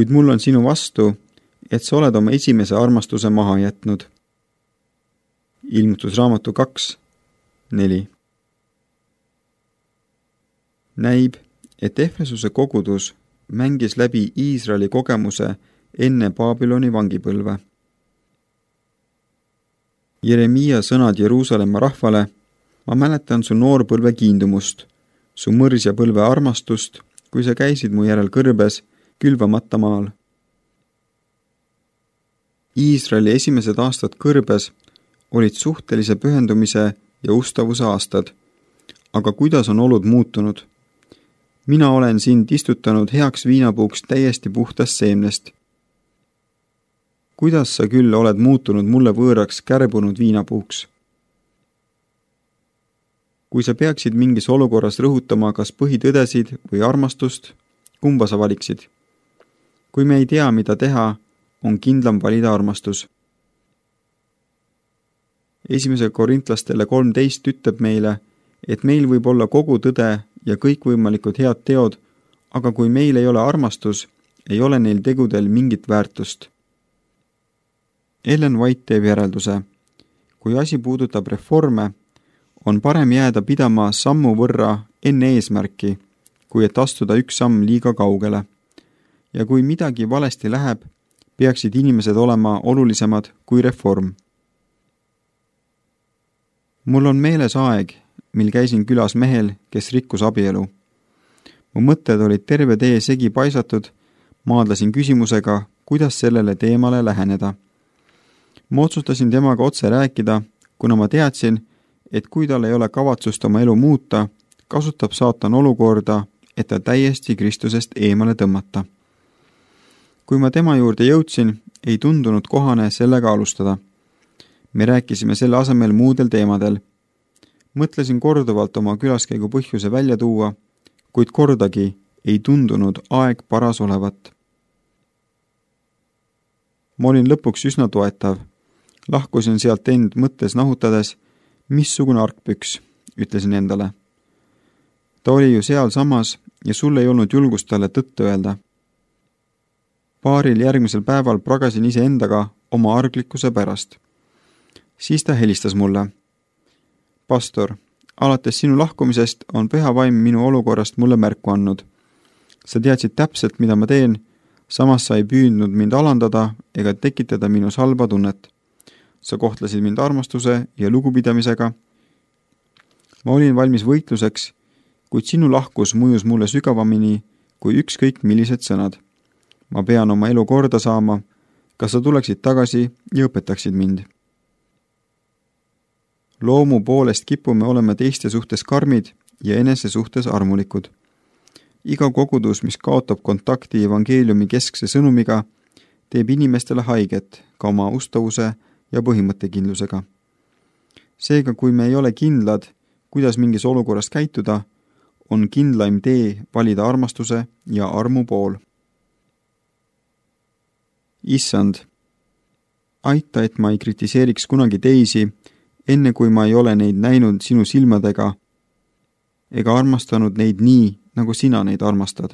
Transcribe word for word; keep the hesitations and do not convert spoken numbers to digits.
kuid mul on sinu vastu, et sa oled oma esimese armastuse maha jätnud. Ilmutusraamatu kaks, neli. Näib, et Efesuse kogudus mängis läbi Iisraeli kogemuse enne Babyloni vangipõlve. Jeremiia sõnad Jeruusalemma rahvale: ma mäletan su noorpõlve kiindumust, su mõrsjapõlve armastust, kui sa käisid mu järel kõrbes, külvamata maal. Iisraeli esimesed aastad kõrbes olid suhtelise pühendumise ja ustavuse aastad. Aga kuidas on olud muutunud? Mina olen sind istutanud heaks viinapuuks täiesti puhtast seemnest. Kuidas sa küll oled muutunud mulle võõraks kärbunud viinapuuks? Kui sa peaksid mingis olukorras rõhutama kas põhitõdesid või armastust, kumba sa valiksid? Kui me ei tea, mida teha, on kindlam valida armastus. Esimese korintlastele kolmteist ütleb meile, et meil võib olla kogu tõde ja kõikvõimalikud head teod, aga kui meil ei ole armastus, ei ole neil tegudel mingit väärtust. Ellen White teeb järelduse: kui asi puudutab reforme, on parem jääda pidama sammu võrra enne eesmärki, kui et astuda üks samm liiga kaugele. Ja kui midagi valesti läheb, peaksid inimesed olema olulisemad kui reform. Mul on meeles aeg, mil käisin külas mehel, kes rikkus abielu. Mu mõtted olid terve tee segi paisatud, maadlasin küsimusega, kuidas sellele teemale läheneda. Ma otsustasin temaga otse rääkida, kuna ma teadsin, et kui tal ei ole kavatsust oma elu muuta, kasutab saatan olukorda, et ta täiesti Kristusest eemale tõmmata. Kui ma tema juurde jõudsin, ei tundunud kohane sellega alustada. Me rääkisime selle asemel muudel teemadel. Mõtlesin korduvalt oma külaskäigu põhjuse välja tuua, kuid kordagi ei tundunud aeg paras olevat. Ma olin lõpuks üsna toetav. Lahkusin sealt end mõttes nahutades, missugune argpüks, ütlesin endale. Ta oli ju seal samas ja sul ei olnud julgust talle tõtt öelda. Paaril järgmisel päeval pragasin ise endaga oma arglikkuse pärast. Siis ta helistas mulle. Pastor, alates sinu lahkumisest on püha vaim minu olukorrast mulle märku andnud. Sa teadsid täpselt, mida ma teen, samas sa ei püüdnud mind alandada ega tekitada minus halba tunnet. Sa kohtlesid mind armastuse ja lugupidamisega. Ma olin valmis võitluseks, kuid sinu lahkus mõjus mulle sügavamini kui ükskõik millised sõnad. Ma pean oma elu korda saama, kas sa tuleksid tagasi ja õpetaksid mind. Loomu poolest kipume olema teiste suhtes karmid ja enese suhtes armulikud. Iga kogudus, mis kaotab kontakti evangeeliumi keskse sõnumiga, teeb inimestele haiget ka oma ustavuse ja põhimõttekindlusega. Seega, kui me ei ole kindlad, kuidas mingis olukorras käituda, on kindlaim tee valida armastuse ja armu pool. Issand, aita, et ma ei kritiseeriks kunagi teisi, enne kui ma ei ole neid näinud sinu silmadega ega armastanud neid nii, nagu sina neid armastad.